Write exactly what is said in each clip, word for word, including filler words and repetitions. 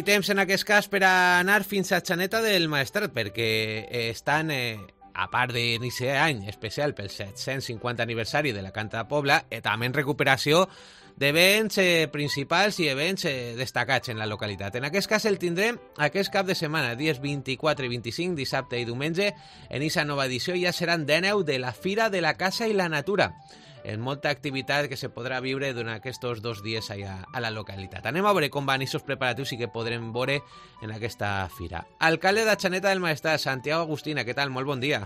temps en aquest cas per a anar fins a Xaneta del Maestrat, perquè estan, eh, a part d'iniciar any especial pel set-cents cinquanta aniversari de la Canta de Pobla, eh, també en recuperació d'events eh, principals i events eh, destacats en la localitat. En aquest cas el tindrem aquest cap de setmana, dies vint-i-quatre i vint-i-cinc, dissabte i diumenge. En aquesta nova edició ja seran dèneu de la Fira de la Casa i la Natura, en molta activitat que se podrà viure durant aquests dos dies allà a la localitat. Anem a veure com van aquests preparatius i què podrem veure en aquesta fira. Alcalde de Xaneta del Maestrat, Santiago Agustina, què tal? Molt bon dia.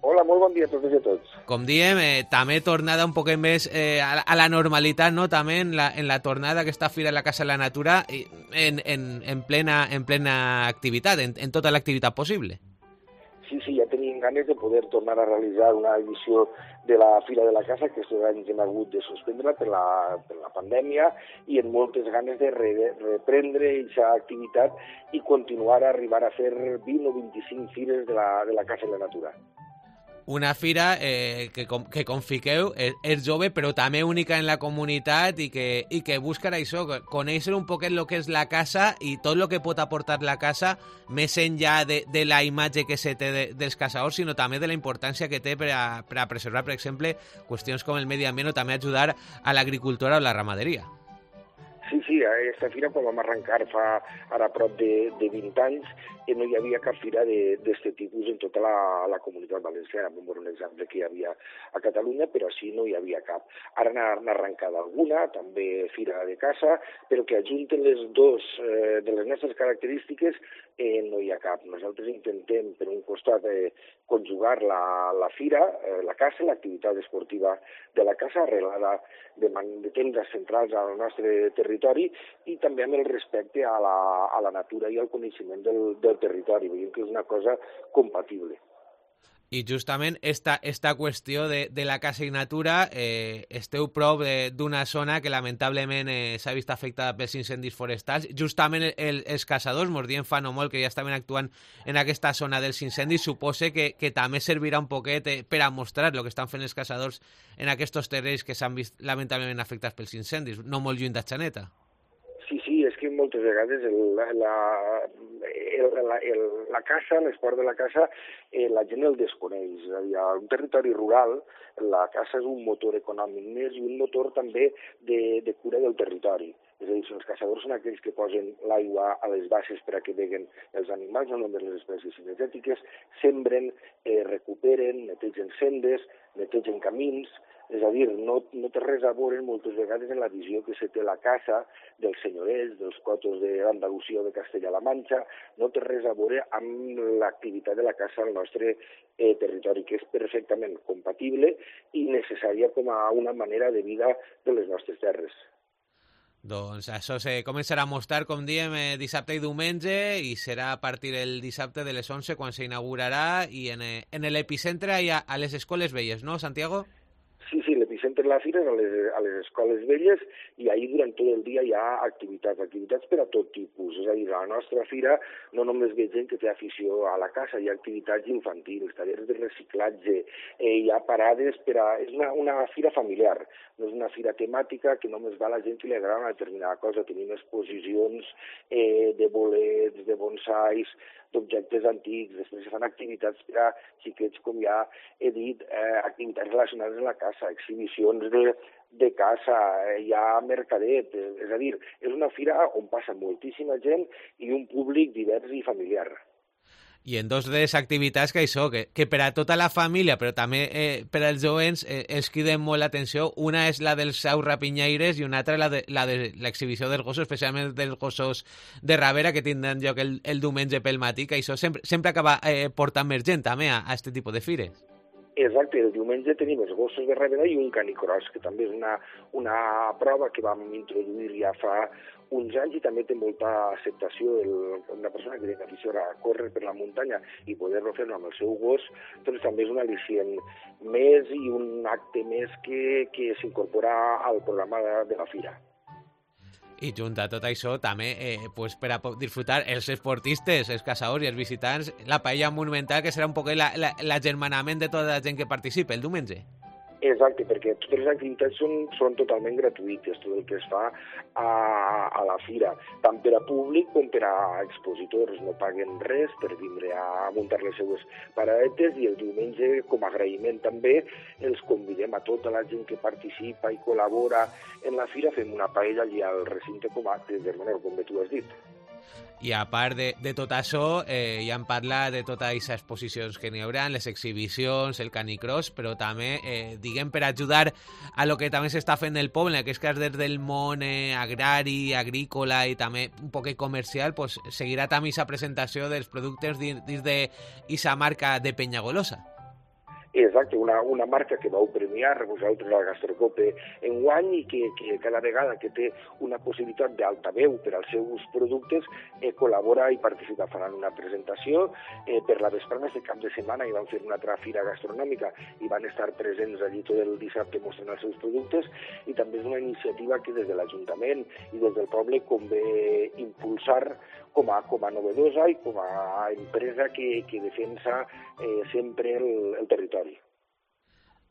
Hola, molt bon dia a totes i a tots. Com diem, eh, també tornada un poquet més eh, a, a la normalitat, no? També en la, en la tornada d'aquesta Fira de la Casa de la Natura en, en, en, plena, en plena activitat, en, en tota l'activitat possible. Sí, sí, ja teníem ganes de poder tornar a realitzar una edició de la Fira de la Casa, que aquests anys hem hagut de suspendre per la, per la pandèmia, i amb moltes ganes de re, reprendre aquesta activitat i continuar a arribar a fer vint o vint-i-cinc fires de la, de la Casa i la Natura. Una fira eh, que, com, que com fiqueu, és, és jove, però també única en la comunitat i que, i que busca això, conèixer un poquet el que és la casa i tot el que pot aportar la casa, més enllà de, de la imatge que se té de, dels caçadors, sinó també de la importància que té per a, per a preservar, per exemple, qüestions com el medi ambient o també ajudar a l'agricultura o la ramaderia. Sí, sí, aquesta fira quan vam arrencar fa ara prop de, de vint anys que no hi havia cap fira d'aquest tipus en tota la, la comunitat valenciana. Vam veure un exemple que hi havia a Catalunya, però així no hi havia cap. Ara n'ha arrencat alguna, també fira de caça, però que ajunten les dues eh, de les nostres característiques eh, no hi ha cap. Nosaltres intentem, per un costat, eh, conjugar la, la fira, eh, la caça, l'activitat esportiva de la caça, arrelada de, de temps centrals al nostre territori i també amb el respecte a la, a la natura i al coneixement del, del territori. Veiem que és una cosa compatible. I justament esta, esta qüestió de, de la caça i natura, eh, esteu prop d'una zona que lamentablement eh, s'ha vist afectada pels incendis forestals. Justament el, els caçadors, mos dient fa no molt que ja estaven actuant en aquesta zona dels incendis, supose que, que també servirà un poquet eh, per a mostrar el que estan fent els caçadors en aquests terrenys que s'han vist lamentablement afectats pels incendis, no molt lluny de Xaneta. Sí, sí, és que moltes vegades el, la, la, el, la, el, la caça, l'esport de la caça, eh, la gent el desconeix. És a dir, a un territori rural, la caça és un motor econòmic més i un motor també de, de cura del territori. És a dir, els caçadors són aquells que posen l'aigua a les basses per a que beguen els animals, no només les espècies cinegètiques, sembren, eh, recuperen, netegen sendes, netegen camins. És a dir, no, no té res a veure moltes vegades en la visió que se té la caça dels senyorets, dels cotos d'Andalusia o de Castella-La Manxa, no té res a veure amb l'activitat de la caça al nostre eh, territori, que és perfectament compatible i necessària com a una manera de vida de les nostres terres. Doncs això se començarà a mostrar, com diem, eh, dissabte i diumenge, i serà a partir del dissabte de les onze quan s'inaugurarà, i en, eh, en l'epicentre hi ha a les escoles velles, no, Santiago? Sí, sí, l'epicentre de la fira és a les, a les escoles velles i ahir durant tot el dia hi ha activitats, activitats per a tot tipus. És a dir, a la nostra fira no només ve gent que té afició a la caça, hi ha activitats infantils, tallers de reciclatge, eh, hi ha parades per a... És una, una fira familiar, no és una fira temàtica que només va a la gent que li agrada una determinada cosa. Tenim exposicions eh, de bolets, de bonsais, d'objectes antics, després se fan activitats per a xiquets, com ja he dit, eh, activitats relacionades amb la caça, exhibicions de, de caça, eh, hi ha mercadet, eh, és a dir, és una fira on passa moltíssima gent i un públic divers i familiar. I en dos de les activitats que això, que, que per a tota la família, però també eh, per als jovents, eh, els criden molt l'atenció. Una és la dels saus rapinyaires i una altra la de la de l'exhibició dels gossos, especialment dels gossos de rabera, que tindran lloc el, el diumenge pel matí, que això sempre, sempre acaba eh, portant més gent també a, a aquest tipus de fires. Exacte, el diumenge tenim els gossos de rabera i un canicross, que també és una, una prova que vam introduir ja fa uns anys i també té molta acceptació. El, una persona que té afició a córrer per la muntanya i poder-lo fer amb el seu gos, doncs també és un al·licient més i un acte més que, que s'incorpora al programa de, de la fira. I junt a tot això, també, eh, pues, per a disfrutar els esportistes, els caçadors i els visitants, la paella monumental, que serà un poc l'agermanament de tota la gent que participa el diumenge. Exacte, perquè totes les activitats són, són totalment gratuïtes, tot el que es fa a, a la fira, tant per a públic com per a expositors. No paguen res per vindre a muntar les seues paradetes, i el diumenge, com a agraïment també, els convidem a tota la gent que participa i col·labora en la fira, fem una paella allà al recinte com a acte de menor, com tu has dit. I a part de, de tot això, eh, ja hem parlat de totes aquestes exposicions que n'hi haurà, les exhibicions, el canicross, però també, eh, diguem, per ajudar a lo que també s'està fent el poble, que és que des del món eh, agrari, agrícola i també un poc comercial, pues, seguirà també aquesta presentació dels productes dins d'aquesta marca de Penyagolosa. Exacte, una, una marca que vau premiar vosaltres a la Gastrocope enguany i que, que cada vegada que té una possibilitat d'altaveu per als seus productes eh, col·labora i participa. Faran una presentació eh, per la vesprada de cap de setmana i van fer una altra fira gastronòmica i van estar presents allí tot el dissabte mostrant els seus productes, i també és una iniciativa que des de l'Ajuntament i des del poble convé impulsar com a, com a novedosa i com a empresa que, que defensa eh, sempre el, el territori.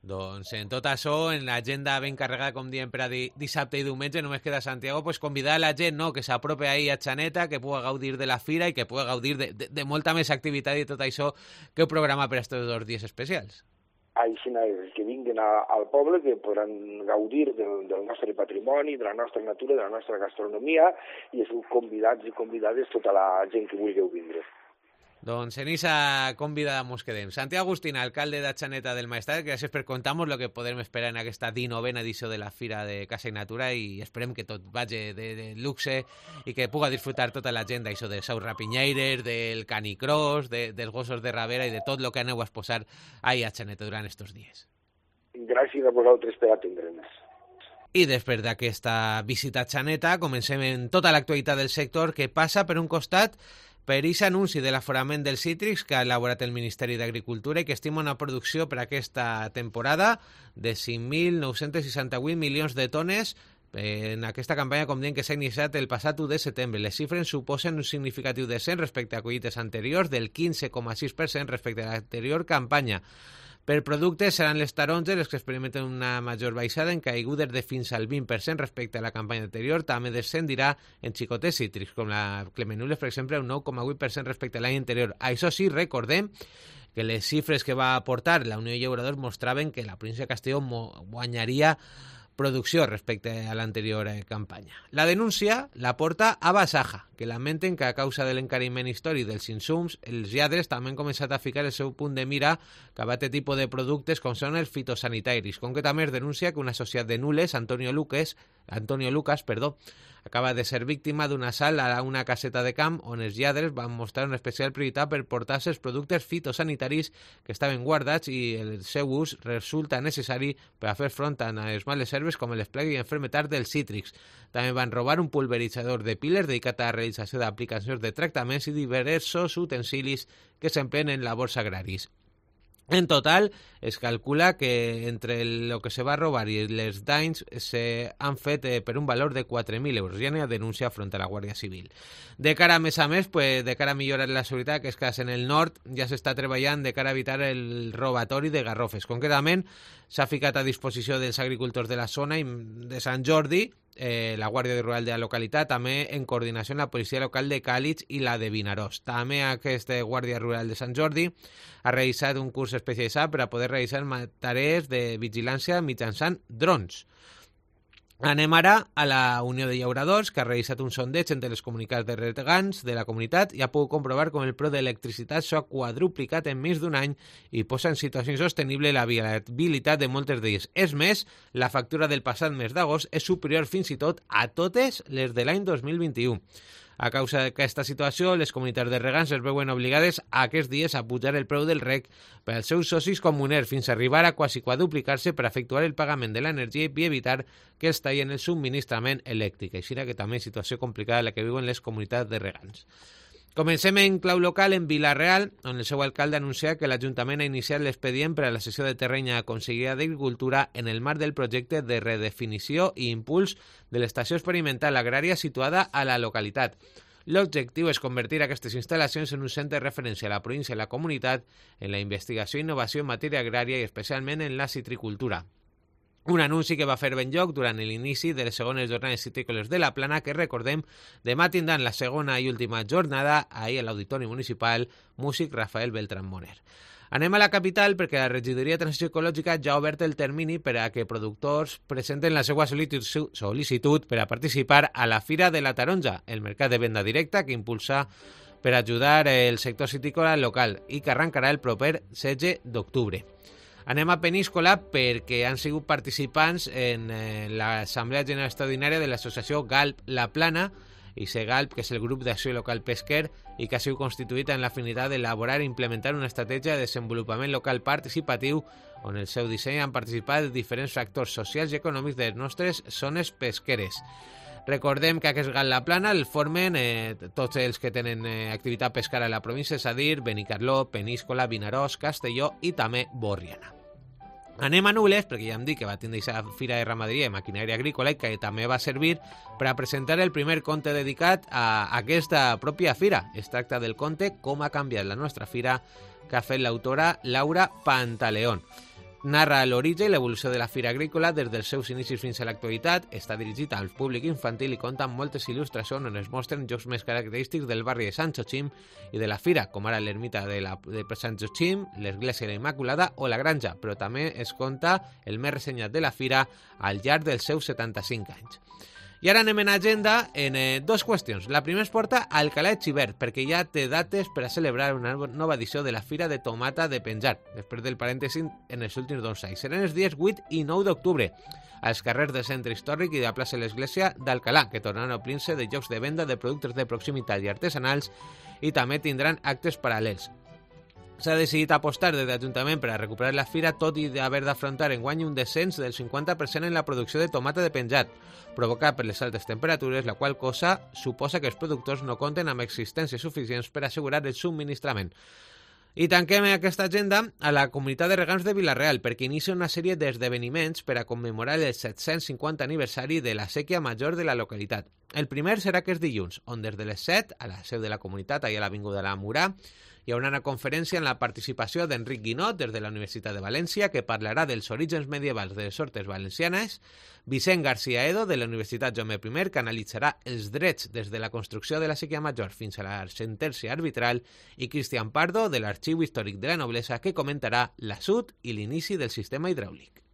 Doncs en tot això, en l'agenda ben carregada, com diem, per a di dissabte i diumenge, només queda Santiago, pues, convidar a la gent, no?, que s'apropi ahí a Xaneta, que pugui gaudir de la fira i que pugui gaudir de, de, de molta més activitat i tot això que heu programat per a aquests dos dies especials. Així és, que vinguin a, al poble, que podran gaudir del, del nostre patrimoni, de la nostra natura, de la nostra gastronomia, i sou convidats i convidades tota la gent que vulgueu vindre. Doncs en esa convidada mos quedem. Santiago Agustín, alcalde de Xaneta del Maestrat, gràcies per contar-nos el que podem esperar en aquesta dinovena edició de la Fira de Casa i Natura, i esperem que tot vagi de, de luxe i que puga disfrutar tota la gent d'això de Saus Rapinyaires, del canicross, de, dels gossos de Ravera i de tot el que aneu a exposar ahí a Xaneta durant estos dies. Gràcies a vosaltres per atendre'ns. I després d'aquesta visita a Xaneta comencem en tota l'actualitat del sector, que passa per un costat per aquest anunci de l'aforament dels cítrics que ha elaborat el Ministeri d'Agricultura i que estima una producció per aquesta temporada de cinc mil nou-cents seixanta-vuit milions de tones en aquesta campanya, com diem, que s'ha iniciat el passat u de setembre. Les xifres suposen un significatiu descens respecte a collites anteriors del quinze coma sis per cent respecte a l'anterior campanya. Per productes seran les taronges les que experimenten una major baixada, en caigudes de fins al vint per cent respecte a la campanya anterior. També descendirà en xicotes cítrics, com la clemenules, per exemple, un nou coma vuit per cent respecte a l'any anterior. Això sí, recordem que les xifres que va aportar la Unió de Llauradors mostraven que la província de Castelló guanyaria producció respecte a l'anterior eh, campanya. La denúncia la porta a Basaja, que lamenten que a causa de l'encariment històric dels insums, els lladres també han començat a ficar el seu punt de mira cap a aquest tipus de productes com són els fitosanitaris. Concretament es denuncia que un associat de Nules, Antonio Lucas, Antonio Lucas, perdó, acaba de ser víctima d'un assalt a una caseta de camp on els lladres van mostrar una especial prioritat per portar-se els productes fitosanitaris que estaven guardats i el seu ús resulta necessari per a fer front a les males herbes com les plagues i enfermetats dels cítrics. També van robar un pulveritzador de piles dedicat a la realització d'aplicacions de tractaments i diversos utensilis que s'emplen en labors agraris. En total, es calcula que entre el que se va robar i les danys se han fet eh, per un valor de quatre mil euros. Ja n'hi ha denúncia front a la Guàrdia Civil. De cara a més a més, pues, de cara a millorar la seguretat, que és que en el nord ja s'està treballant de cara a evitar el robatori de garrofes. Concretament, s'ha ficat a disposició dels agricultors de la zona i de Sant Jordi, eh, la Guàrdia Rural de la localitat, també en coordinació amb la policia local de Càlig i la de Vinaròs. També aquesta Guàrdia Rural de Sant Jordi ha realitzat un curs especialitzat per a poder realitzar tarees de vigilància mitjançant drons. Anem ara a la Unió de Llauradors, que ha realitzat un sondeig entre les comunitats de regants de la comunitat i ha pogut comprovar com el preu d'electricitat s'ha quadruplicat en més d'un any i posa en situació insostenible la viabilitat de moltes d'elles. És més, la factura del passat mes d'agost és superior fins i tot a totes les de l'any dos mil vint-i-u. A causa d'aquesta situació, les comunitats de regants es veuen obligades a aquests dies a pujar el preu del reg per als seus socis comuners fins a arribar a quasi quadruplicar-se per efectuar el pagament de l'energia i evitar que els tallen el subministrament elèctric. Així que també és situació complicada la que viuen les comunitats de regants. Comencem en clau local en Vila-real, on el seu alcalde anuncia que l'Ajuntament ha iniciat l'expedient per a la cessió de terreny a la Conselleria d'Agricultura en el marc del projecte de redefinició i impuls de l'estació experimental agrària situada a la localitat. L'objectiu és convertir aquestes instal·lacions en un centre de referència a la província i la comunitat en la investigació i innovació en matèria agrària i especialment en la citricultura. Un anunci que va fer ben lloc durant l'inici de les segones jornades citrícoles de la Plana, que recordem, demà tindran la segona i última jornada ahir a l'Auditori Municipal Músic Rafael Beltrán Moner. Anem a la capital perquè la Regidoria de Transició Ecològica ja ha obert el termini per a que productors presenten la seva sol·licitud per a participar a la Fira de la Taronja, el mercat de venda directa que impulsa per ajudar el sector citícola local i que arrencarà el proper setze d'octubre. Anem a Peníscola perquè han sigut participants en eh, l'Assemblea General Extraordinària de l'associació Galp La Plana, i Segalp, que és el grup d'acció local pesquer i que ha sigut constituït en l'afinitat d'elaborar i implementar una estratègia de desenvolupament local participatiu on el seu disseny han participat diferents factors socials i econòmics de les nostres zones pesqueres. Recordem que aquest Galp La Plana el formen eh, tots els que tenen eh, activitat pescara a la província, és a dir, Benicarló, Peníscola, Vinaròs, Castelló i també Borriana. Anem a Nules, perquè ja hem dit que va tindre aquesta fira de ramaderia i maquinària agrícola i que també va servir per a presentar el primer conte dedicat a aquesta pròpia fira. Es tracta del conte Com ha canviat la nostra fira, que ha fet l'autora Laura Pantaleón. Narra l'origen i l'evolució de la fira agrícola des dels seus inicis fins a l'actualitat, està dirigit al públic infantil i compta amb moltes il·lustracions on es mostren jocs més característics del barri de Sant Joachim i de la fira, com ara l'ermita de, la, de Sant Joachim, l'església de la Immaculada o la granja, però també es conta el més ressenyat de la fira al llarg dels seus setanta-cinc anys. I ara anem en agenda en eh, dues qüestions. La primera es porta a Alcalà de Xivert, perquè ja té dates per a celebrar una nova edició de la Fira de Tomata de Penjar, després del parèntesi en els últims dos anys. Seran els dies vuit i nou d'octubre, als carrers del centre històric i de la plaça de l'Església d'Alcalà, que tornaran a omplir-se de llocs de venda de productes de proximitat i artesanals i també tindran actes paral·lels. S'ha decidit apostar des de l'Ajuntament per a recuperar la fira, tot i d'haver d'afrontar enguany un descens del cinquanta per cent en la producció de tomata de penjat, provocat per les altes temperatures, la qual cosa suposa que els productors no compten amb existències suficients per assegurar el subministrament. I tanquem aquesta agenda a la comunitat de regants de Vila-real, perquè inicia una sèrie d'esdeveniments per a commemorar el set-cents cinquanta aniversari de la sèquia major de la localitat. El primer serà aquest dilluns, on des de les set, a la seu de la comunitat, allà a l'Avinguda de la Murà, hi haurà una conferència en la participació d'Enric Guinot des de la Universitat de València que parlarà dels orígens medievals de les hortes valencianes, Vicent García Edo de la Universitat Jaume I que analitzarà els drets des de la construcció de la sèquia major fins a la sentència arbitral i Cristian Pardo de l'Arxiu Històric de la Noblesa que comentarà l'assut i l'inici del sistema hidràulic.